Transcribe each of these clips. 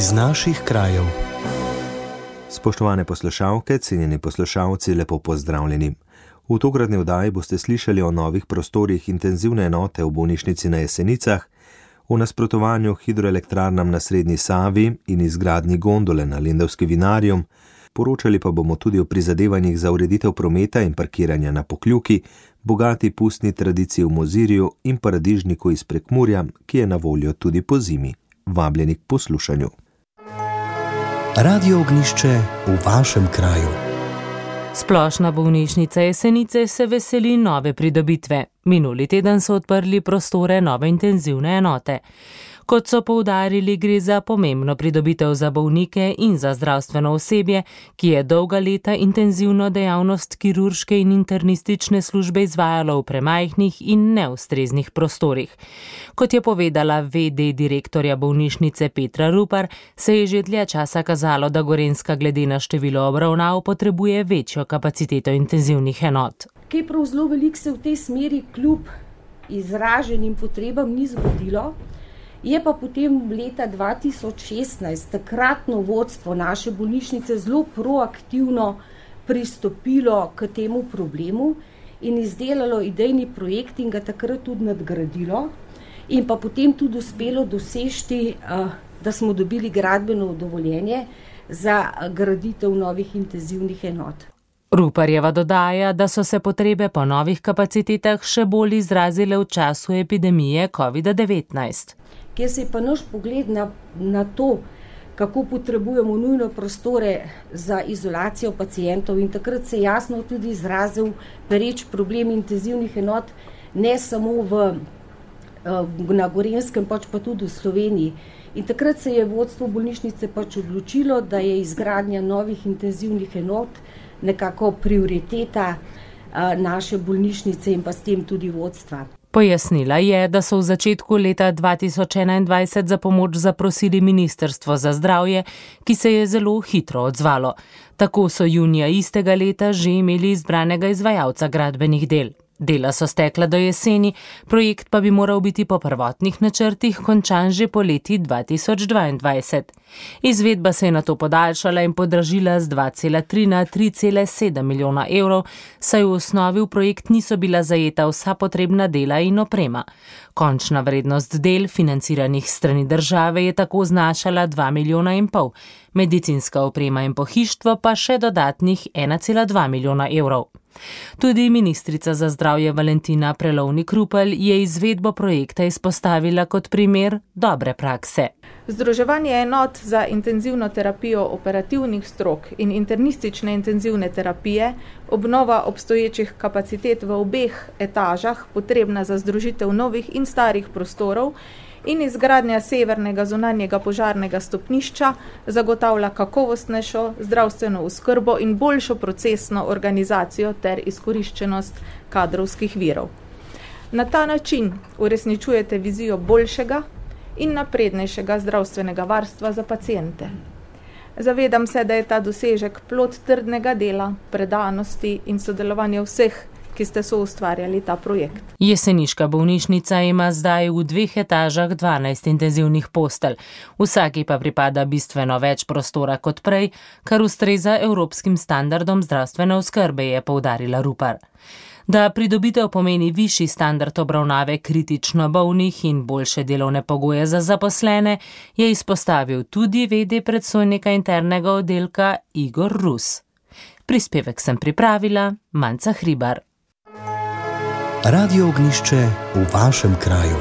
iz naših krajev. Spoštovane poslušalke, cenjeni poslušalci, lepo pozdravljeni. V tokratni oddaji boste slišali o novih prostorih intenzivne enote v bolnišnici na Jesenicah, o nasprotovanju hidroelektrarnam na Srednji Savi in izgradnji gondole na Lendavski Vinarium. Poročali pa bomo tudi o prizadevanjih za ureditev prometa in parkiranja na Pokljuki, bogati pustni tradiciji v Mozirju in paradižniku iz Prekmurja, ki je na voljo tudi po zimi. Vabljeni k poslušanju. Radio Ognjišče v vašem kraju. Splošna bolnišnica Jesenice se veseli nove pridobitve. Minuli teden so odprli prostore nove intenzivne enote. Kot so poudarili, gre za pomembno pridobitev za bolnike in za zdravstveno osebje, ki je dolga leta intenzivno dejavnost kirurške in internistične službe izvajalo v premajhnih in neustreznih prostorih. Kot je povedala v.d. direktorja bolnišnice Petra Rupar, se je že dlje časa kazalo, da Gorenjska glede na število obravnav potrebuje večjo kapaciteto intenzivnih enot. Kaj prav zelo veliko se v tej smeri kljub izraženim potrebam ni zgodilo. Je pa potem leta 2016 takratno vodstvo naše bolnišnice zelo proaktivno pristopilo k temu problemu in izdelalo idejni projekt in ga takrat tudi nadgradilo in pa potem tudi uspelo doseči, da smo dobili gradbeno dovoljenje za graditev novih intenzivnih enot. Ruparjeva dodaja, da so se potrebe po novih kapacitetah še bolj izrazile v času epidemije COVID-19. Kjer se je pa naš pogled na to, kako potrebujemo nujno prostore za izolacijo pacientov in takrat se jasno tudi izrazil pereč problem intenzivnih enot, ne samo na Gorenjskem, pač pa tudi v Sloveniji. In takrat se je vodstvo bolnišnice pač odločilo, da je izgradnja novih intenzivnih enot nekako prioriteta naše bolnišnice in pa s tem tudi vodstva. Pojasnila je, da so v začetku leta 2021 za pomoč zaprosili Ministrstvo za zdravje, ki se je zelo hitro odzvalo. Tako so junija istega leta že imeli izbranega izvajalca gradbenih del. Dela so stekla do jeseni, projekt pa bi moral biti po prvotnih načrtih končan že poleti 2022. Izvedba se je nato podaljšala in podražila z 2,3 na 3,7 milijona evrov, saj v osnovi v projekt niso bila zajeta vsa potrebna dela in oprema. Končna vrednost del, financiranih strani države, je tako znašala 2,5 milijona, medicinska oprema in pohištvo pa še dodatnih 1,2 milijona evrov. Tudi ministrica za zdravje Valentina Prelovnik-Rupel je izvedbo projekta izpostavila kot primer dobre prakse. Združevanje enot za intenzivno terapijo operativnih strok in internistične intenzivne terapije, obnova obstoječih kapacitet v obeh etažah, potrebna za združitev novih in starih prostorov, in izgradnja severnega zunanjega požarnega stopnišča zagotavlja kakovostnejšo zdravstveno oskrbo in boljšo procesno organizacijo ter izkoriščenost kadrovskih virov. Na ta način uresničujete vizijo boljšega in naprednejšega zdravstvenega varstva za paciente. Zavedam se, da je ta dosežek plod trdnega dela, predanosti in sodelovanja vseh, ki ste soustvarjali ta projekt. Jeseniška bolnišnica ima zdaj v 2 etažah 12 intenzivnih postelj. Vsaki pa pripada bistveno več prostora kot prej, kar ustreza evropskim standardom zdravstvene oskrbe, je poudarila Rupar. Da pridobitev pomeni višji standard obravnave kritično bolnih in boljše delovne pogoje za zaposlene, je izpostavil tudi v.d. predstojnika internega oddelka Igor Rus. Prispevek sem pripravila Manca Hribar. Radio Ognjišče v vašem kraju.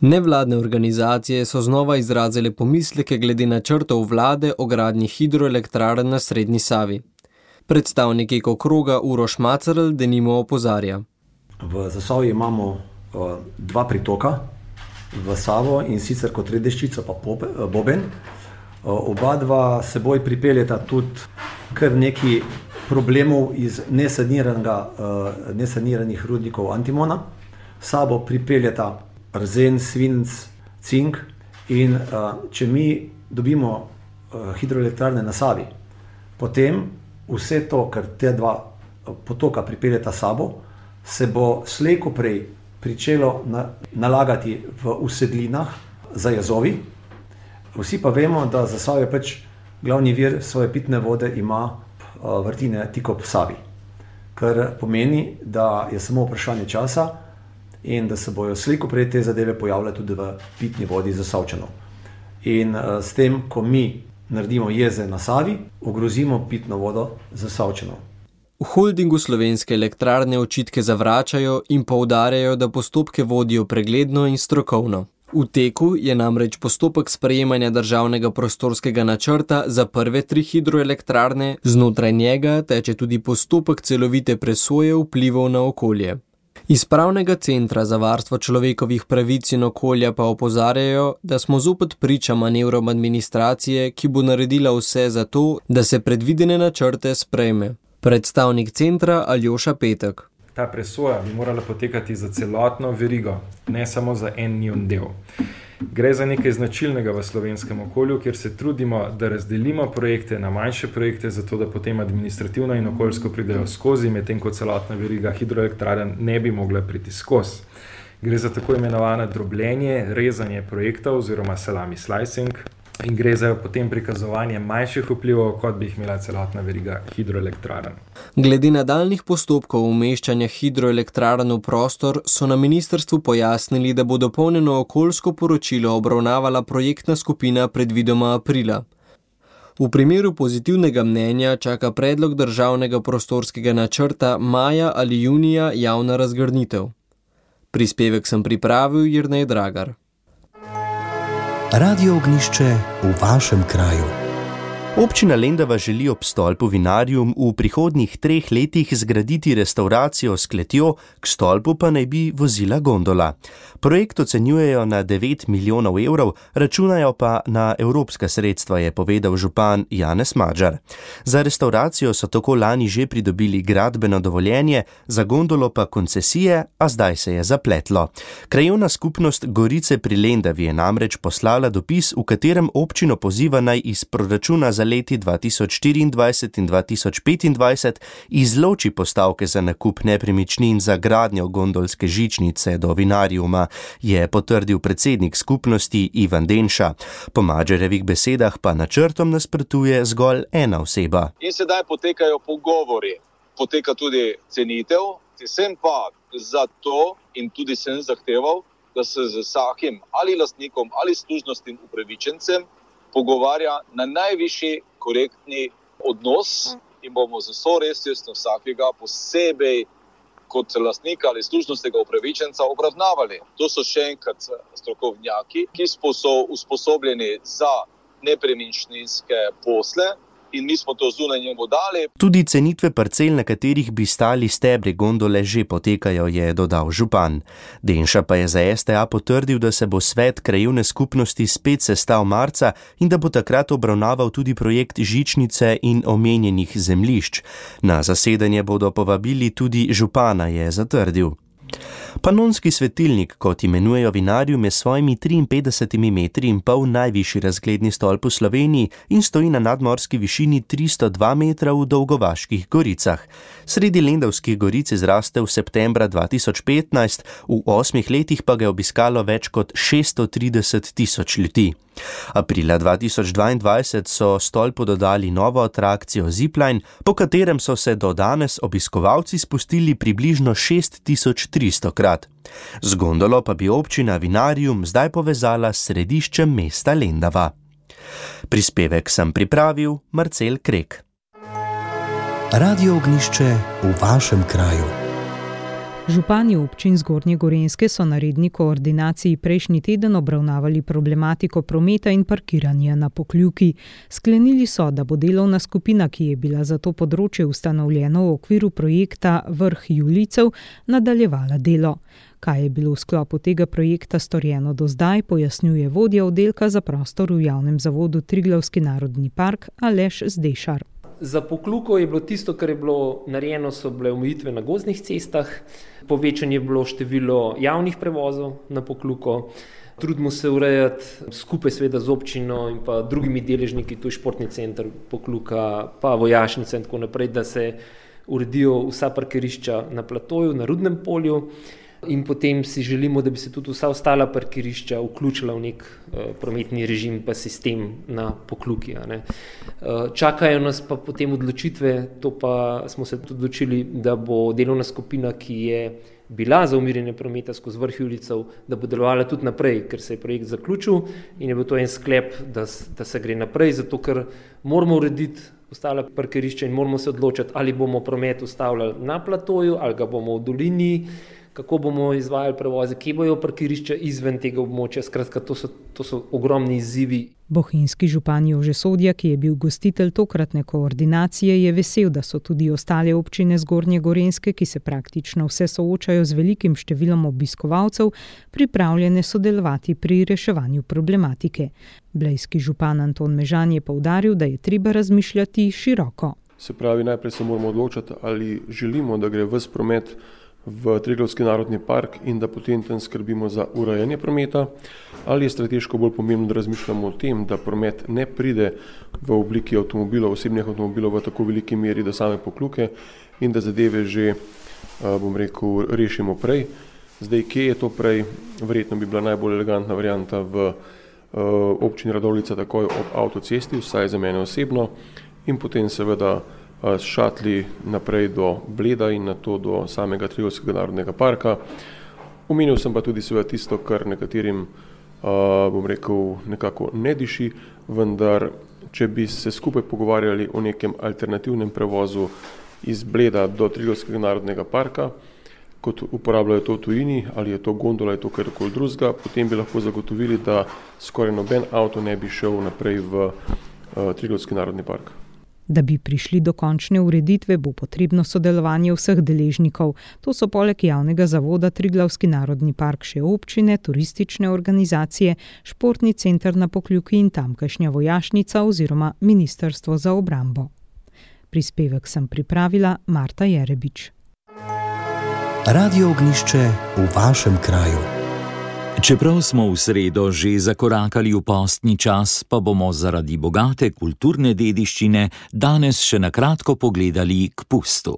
Nevladne organizacije so znova izrazile pomisleke glede načrtov vlade o gradnji hidroelektrarn na Srednji Savi. Predstavnik Ekokroga Uroš Macerl denimo opozarja. V Zasavju imamo 2 pritoka v Savo in sicer Kotredeščica pa Boben. Oba dva seboj pripeljeta tudi kar neki problemov iz nesaniranih rudnikov antimona. Sabo pripeljeta arzen, svinec, cink in če mi dobimo hidroelektrarne na Savi, potem vse to, kar te 2 potoka pripeljeta sabo, se bo slej ko prej pričelo nalagati v usedlinah za jezovi. Vsi pa vemo, da Zasavje pač glavni vir svoje pitne vode ima vrtine tik ob Savi, kar pomeni, da je samo vprašanje časa in da se bojo slej ko prej te zadeve pojavljale tudi v pitni vodi Zasavčanov. In s tem, ko mi naredimo jeze na Savi, ogrozimo pitno vodo Zasavčanov. V holdingu Slovenske elektrarne očitke zavračajo in poudarjajo, da postopke vodijo pregledno in strokovno. V teku je namreč postopek sprejemanja državnega prostorskega načrta za prve 3 hidroelektrarne, znotraj njega teče tudi postopek celovite presoje vplivov na okolje. Iz Pravnega centra za varstvo človekovih pravic in okolja pa opozarjajo, da smo zopet priča manevrom administracije, ki bo naredila vse za to, da se predvidene načrte sprejme. Predstavnik centra Aljoša Petek. Ta presoja bi morala potekati za celotno verigo, ne samo za en njun del. Gre za nekaj značilnega v slovenskem okolju, kjer se trudimo, da razdelimo projekte na manjše projekte, zato da potem administrativno in okoljsko pridejo skozi, medtem ko celotna veriga hidroelektrarn ne bi mogla priti skozi. Gre za tako imenovano drobljenje, rezanje projektov oziroma salami slicing in gre za potem prikazovanje manjših vplivov, kot bi jih imela celotna veriga hidroelektrarn. Glede nadaljnjih postopkov umeščanja hidroelektrarn v prostor so na ministrstvu pojasnili, da bo dopolnjeno okoljsko poročilo obravnavala projektna skupina predvidoma aprila. V primeru pozitivnega mnenja čaka predlog državnega prostorskega načrta maja ali junija javna razgrnitev. Prispevek sem pripravil Jernej Dragar. Radio Ognjišče v vašem kraju. Občina Lendava želi ob stolpu Vinarium v prihodnjih 3 letih zgraditi restauracijo s kletjo, k stolpu pa naj bi vozila gondola. Projekt ocenjujejo na 9 milijonov evrov, računajo pa na evropska sredstva, je povedal župan Janez Madžar. Za restauracijo so tako lani že pridobili gradbeno dovoljenje, za gondolo pa koncesije, a zdaj se je zapletlo. Krajevna skupnost Gorice pri Lendavi je namreč poslala dopis, v katerem občino poziva naj iz proračuna za leti 2024 in 2025 izloči postavke za nakup nepremičnin za gradnjo gondolske žičnice do Vinariuma, je potrdil predsednik skupnosti Ivan Denša. Po Madžarjevih besedah pa načrtom nasprotuje zgolj ena oseba. In sedaj potekajo pogovori, poteka tudi cenitev, sem pa zato in tudi sem zahteval, da se z vsakim ali lastnikom ali služnostnim upravičencem pogovarja na najvišji korektni odnos in bomo z vso resnostjo vsakega posebej kot lastnika ali služnostnega upravičenca obravnavali. To so še enkrat strokovnjaki, ki so usposobljeni za nepremičninske posle in mi smo to zunaj njemu dali. Tudi cenitve parcel, na katerih bi stali stebri gondole, že potekajo, je dodal župan. Denša pa je za STA potrdil, da se bo svet krajevne skupnosti spet sestal marca in da bo takrat obravnaval tudi projekt žičnice in omenjenih zemljišč. Na zasedanje bodo povabili tudi župana, je zatrdil. Panonski svetilnik, kot imenujejo Vinarium, je s svojimi 53 metri in pol najvišji razgledni stolp v Sloveniji in stoji na nadmorski višini 302 metra v Dolgovaških goricah. Sredi Lendavskih goric zraste v septembra 2015, v 8 letih pa ga je obiskalo več kot 630 tisoč ljudi. Aprila 2022 so stolpu dodali novo atrakcijo Zipline, po katerem so se do danes obiskovalci spustili približno 6300 krat. Z gondolo pa bi občina Vinarium zdaj povezala s središčem mesta Lendava. Prispevek sem pripravil Marcel Krek. Radio Ognjišče v vašem kraju. Župani občin Zgornje Gorenjske so na redni koordinaciji prejšnji teden obravnavali problematiko prometa in parkiranja na Pokljuki. Sklenili so, da bo delovna skupina, ki je bila za to področje ustanovljena v okviru projekta Vrh Julijcev, nadaljevala delo. Kaj je bilo v sklopu tega projekta storjeno do zdaj, pojasnjuje vodja oddelka za prostor v javnem zavodu Triglavski narodni park Aleš Zdešar. Za Pokljuko je bilo tisto, kar je bilo narejeno, so bile omejitve na gozdnih cestah, povečanje je bilo število javnih prevozov na Pokljuko, trudimo se urejati skupaj seveda z občino in pa drugimi deležniki, tu je športni center Pokljuka, pa vojašnica in tako naprej, da se uredijo vsa parkirišča na platoju, na Rudnem polju. In potem si želimo, da bi se tudi vsa ostala parkirišča vključila v nek prometni režim pa sistem na Pokljuki. Čakajo nas pa potem odločitve, to pa smo se tudi odločili, da bo delovna skupina, ki je bila za umirjanje prometa skozi vrh Julijcev, da bo delovala tudi naprej, ker se je projekt zaključil in je bil to en sklep, da se gre naprej, zato ker moramo urediti ostala parkirišča in moramo se odločiti, ali bomo promet ustavljali na platoju, ali ga bomo v dolini, kako bomo izvajali prevoze, kje bojo parkirišča izven tega območja. Skratka, to so ogromni izzivi. Bohinjski župan Jože Sodja, ki je bil gostitelj tokratne koordinacije, je vesel, da so tudi ostale občine Zgornje Gorenjske, ki se praktično vse soočajo z velikim številom obiskovalcev, pripravljene sodelovati pri reševanju problematike. Blejski župan Anton Mežan je poudaril, da je treba razmišljati široko. Se pravi, najprej se moramo odločiti, ali želimo, da gre ves promet v Triglavski narodni park in da potem tam skrbimo za urejanje prometa, ali je strateško bolj pomembno, da razmišljamo o tem, da promet ne pride v obliki avtomobilov, osebnih avtomobilov v tako veliki meri do same Pokljuke in da zadeve že, rešimo prej. Zdaj, kje je to prej? Verjetno bi bila najbolj elegantna varianta v občini Radovljica takoj ob avtocesti, vsaj za mene osebno, in potem seveda s šatli naprej do Bleda in nato do samega Triglavskega narodnega parka. Omenil sem pa tudi seveda tisto, kar nekaterim, nekako ne diši, vendar če bi se skupaj pogovarjali o nekem alternativnem prevozu iz Bleda do Triglavskega narodnega parka, kot uporabljajo to v tujini, ali je to gondola, je to karkoli drugega, potem bi lahko zagotovili, da skoraj noben avto ne bi šel naprej v Triglavski narodni park. Da bi prišli do končne ureditve, bo potrebno sodelovanje vseh deležnikov. To so poleg javnega zavoda Triglavski narodni park še občine, turistične organizacije, športni center na Pokljuki in tamkajšnja vojašnica oziroma Ministrstvo za obrambo. Prispevek sem pripravila Marta Jerebič. Radio Ognjišče v vašem kraju. Čeprav smo v sredo že zakorakali v postni čas, pa bomo zaradi bogate kulturne dediščine danes še na kratko pogledali k pustu.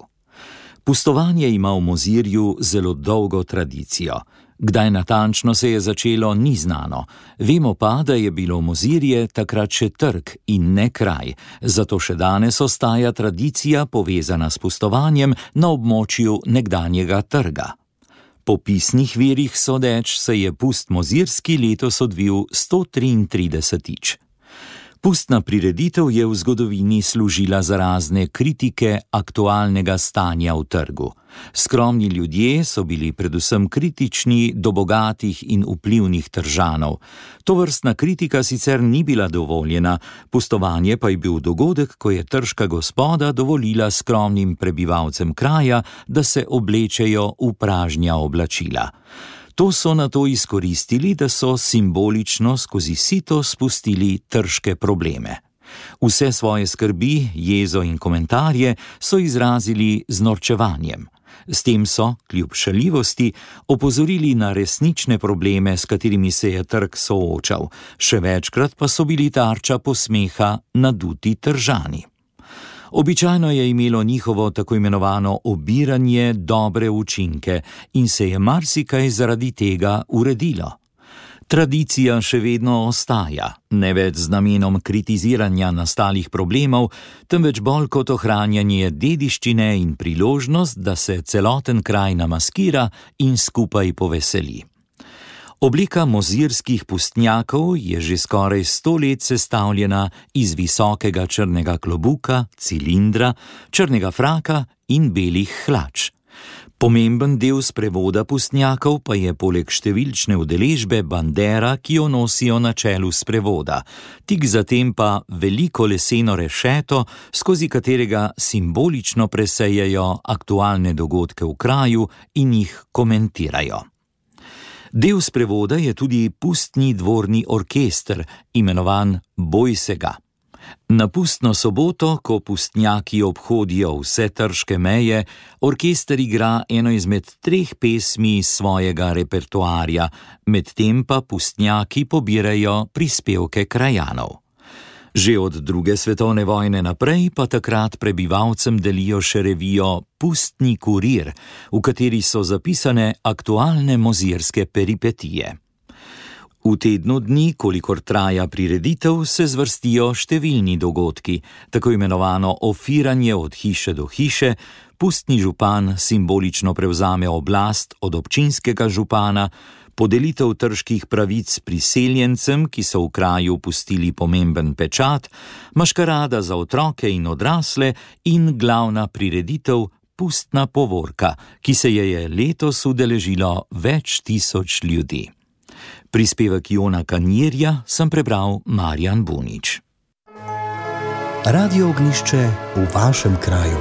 Pustovanje ima v Mozirju zelo dolgo tradicijo. Kdaj natančno se je začelo, ni znano. Vemo pa, da je bilo Mozirje takrat še trg in ne kraj, zato še danes ostaja tradicija povezana s pustovanjem na območju nekdanjega trga. Po pisnih virih sodeč se je pust mozirski letos odvil 133. Pustna prireditev je v zgodovini služila za razne kritike aktualnega stanja v trgu. Skromni ljudje so bili predvsem kritični do bogatih in vplivnih tržanov. Tovrstna kritika sicer ni bila dovoljena, pustovanje pa je bil dogodek, ko je trška gospoda dovolila skromnim prebivalcem kraja, da se oblečejo v pražnja oblačila. To so nato izkoristili, da so simbolično skozi sito spustili trške probleme. Vse svoje skrbi, jezo in komentarje so izrazili z norčevanjem. S tem so, kljub šaljivosti, opozorili na resnične probleme, s katerimi se je trg soočal. Še večkrat pa so bili tarča posmeha naduti tržani. Običajno je imelo njihovo tako imenovano obiranje dobre učinke in se je marsikaj zaradi tega uredilo. Tradicija še vedno ostaja, ne več z namenom kritiziranja nastalih problemov, temveč bolj kot ohranjanje dediščine in priložnost, da se celoten kraj namaskira in skupaj poveseli. Oblika mozirskih pustnjakov je že skoraj 100 let sestavljena iz visokega črnega klobuka, cilindra, črnega fraka in belih hlač. Pomemben del sprevoda pustnjakov pa je poleg številčne udeležbe bandera, ki jo nosijo na čelu sprevoda, tik zatem pa veliko leseno rešeto, skozi katerega simbolično presejajo aktualne dogodke v kraju in jih komentirajo. Del sprevoda je tudi pustni dvorni orkester, imenovan Bojsega. Na pustno soboto, ko pustnjaki obhodijo vse trške meje, orkester igra eno izmed 3 pesmi iz svojega repertoarja, medtem pa pustnjaki pobirajo prispevke krajanov. Že od II. Svetovne vojne naprej pa takrat prebivalcem delijo še revijo Pustni kurir, v kateri so zapisane aktualne mozirske peripetije. V tednu dni, kolikor traja prireditev, se zvrstijo številni dogodki, tako imenovano ofiranje od hiše do hiše, pustni župan simbolično prevzame oblast od občinskega župana, podelitev trških pravic priseljencem, ki so v kraju pustili pomemben pečat, maškarada za otroke in odrasle in glavna prireditev Pustna povorka, ki se je letos udeležilo več tisoč ljudi. Prispevek Jona Kanjerja sem prebral Marjan Bunič. Radio Ognjišče v vašem kraju.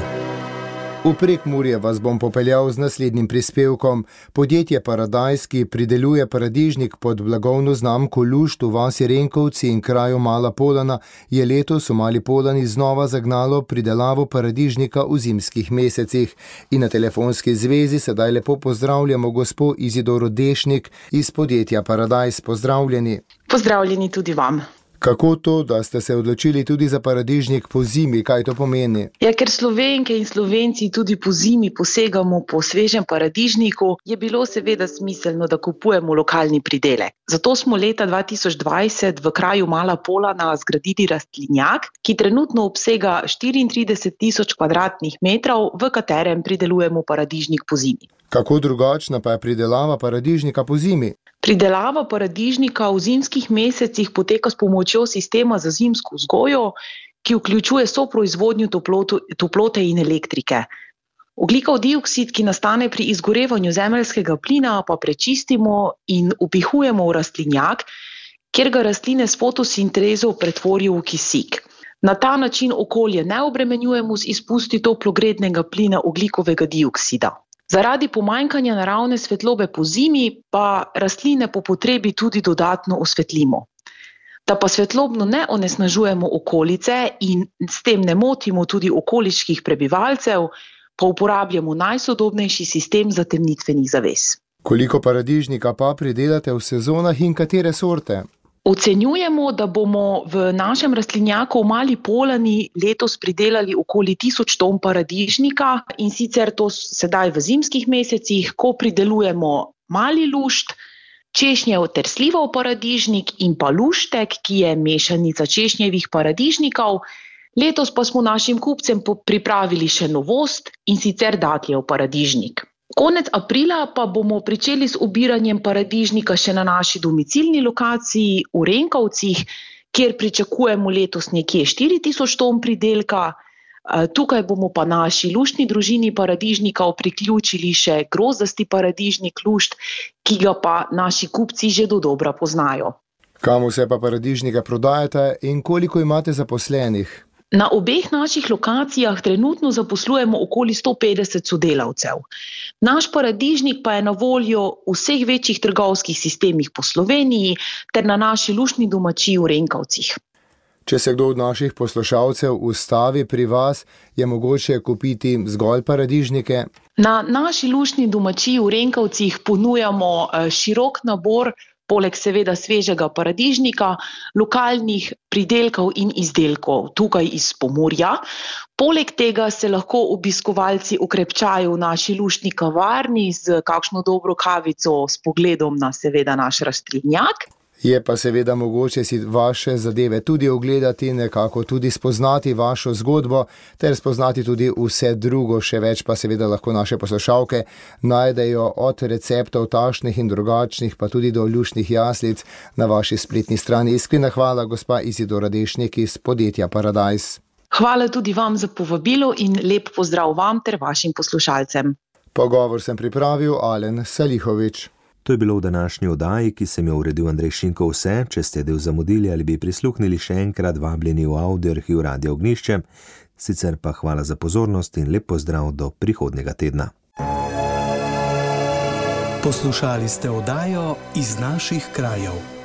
V Prekmurje vas bom popeljal z naslednjim prispevkom. Podjetje Paradajz, ki prideluje paradižnik pod blagovno znamko Lušt v vasi Renkovci in kraju Mala Polana, je letos v Mali Polani znova zagnalo pridelavo paradižnika v zimskih mesecih. In na telefonski zvezi sedaj lepo pozdravljamo gospo Izidoro Dešnik iz podjetja Paradajz. Pozdravljeni. Pozdravljeni tudi vam. Kako to, da ste se odločili tudi za paradižnik po zimi, kaj to pomeni? Ja, ker Slovenke in Slovenci tudi po zimi posegamo po svežem paradižniku, je bilo seveda smiselno, da kupujemo lokalni pridelek. Zato smo leta 2020 v kraju Mala Polana zgradili rastlinjak, ki trenutno obsega 34.000 kvadratnih metrov, v katerem pridelujemo paradižnik po zimi. Kako drugačna pa je pridelava paradižnika po zimi? Pridelava paradižnika v zimskih mesecih poteka s pomočjo sistema za zimsko vzgojo, ki vključuje soproizvodnjo toplote in elektrike. Ogljikov dioksid, ki nastane pri izgorevanju zemeljskega plina, pa prečistimo in vpihujemo v rastlinjak, kjer ga rastline s fotosintezo pretvorijo v kisik. Na ta način okolje ne obremenjujemo z izpusti toplogrednega plina ogljikovega dioksida. Zaradi pomanjkanja naravne svetlobe po zimi pa rastline po potrebi tudi dodatno osvetlimo. Da pa svetlobno ne onesnažujemo okolice in s tem ne motimo tudi okoliških prebivalcev, pa uporabljamo najsodobnejši sistem zatemnitvenih zaves. Koliko paradižnika pa pridelate v sezonah in katere sorte? Ocenjujemo, da bomo v našem rastlinjaku v Mali Polani letos pridelali okoli 1000 ton paradižnika in sicer to sedaj v zimskih mesecih, ko pridelujemo mali lušt, češnjev ter slivov paradižnik in pa luštek, ki je mešanica češnjevih paradižnikov. Letos pa smo našim kupcem pripravili še novost in sicer datljev paradižnik. Konec aprila pa bomo pričeli s obiranjem paradižnika še na naši domicilni lokaciji v Renkovcih, kjer pričakujemo letos nekje 4000 ton pridelka. Tukaj bomo pa naši luštni družini paradižnikov priključili še grozdasti paradižnik lušt, ki ga pa naši kupci že dodobra poznajo. Kam vse pa paradižnike prodajate in koliko imate zaposlenih? Na obeh naših lokacijah trenutno zaposlujemo okoli 150 sodelavcev. Naš paradižnik pa je na voljo v vseh večjih trgovskih sistemih po Sloveniji ter na naši luštni domačiji v Renkovcih. Če se kdo od naših poslušalcev ustavi pri vas, je mogoče kupiti zgolj paradižnike? Na naši luštni domačiji v Renkovcih ponujamo širok nabor, poleg seveda svežega paradižnika, lokalnih pridelkov in izdelkov tukaj iz Pomurja. Poleg tega se lahko obiskovalci okrepčajo v naši luštni kavarni z kakšno dobro kavico s pogledom na seveda naš rastlinjak. Je pa seveda mogoče si vaše zadeve tudi ogledati, nekako tudi spoznati vašo zgodbo, ter spoznati tudi vse drugo, še več pa seveda lahko naše poslušalke najdejo od receptov tašnih in drugačnih, pa tudi do luštnih jaslic na vaši spletni strani. Iskrena hvala, gospa Izidora Dešnik iz podjetja Paradajz. Hvala tudi vam za povabilo in lep pozdrav vam ter vašim poslušalcem. Pogovor sem pripravil Alen Salihovič. To je bilo v današnji oddaji, ki sem jo uredil Andrej Šinko. Vse, če ste del zamudili ali bi prisluhnili, še enkrat vabljeni v audio arhiv Radio Ognjišče. Sicer pa hvala za pozornost in lep pozdrav do prihodnjega tedna. Poslušali ste oddajo Iz naših krajev.